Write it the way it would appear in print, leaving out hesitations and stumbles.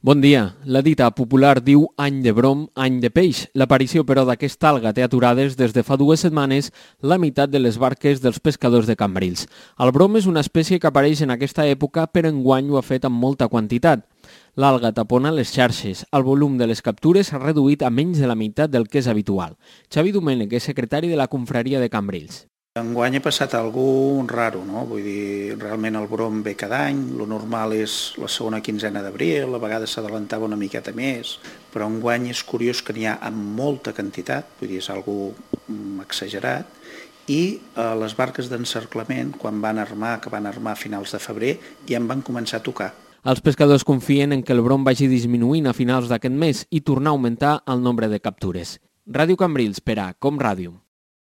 Bon dia. La dita popular diu any de brom, any de peix. L'aparició, però, d'aquesta alga té aturades des de fa 2 setmanes la meitat de les barques dels pescadors de Cambrils. El brom és una espècie que apareix en aquesta època, però enguany ho ha fet amb molta quantitat. L'alga tapona les xarxes. El volum de les captures s'ha reduït a menys de la meitat del que és habitual. Xavi Domènech és secretari de la confraria de Cambrils. Enguany ha passat algú raro, no? Vull dir, realment el brom ve cada any, lo normal és la segona quinzena d'abril, a vegades s'adelantava una miqueta més, però enguany és curiós que n'hi ha amb molta quantitat, vull dir, és algú exagerat, i les barques d'encerclament, quan van armar, que van armar a finals de febrer, ja en van començar a tocar. Els pescadors confien en que el brom vagi disminuint a finals d'aquest mes i tornar a augmentar el nombre de captures. Ràdio Cambrils per a Com Ràdio.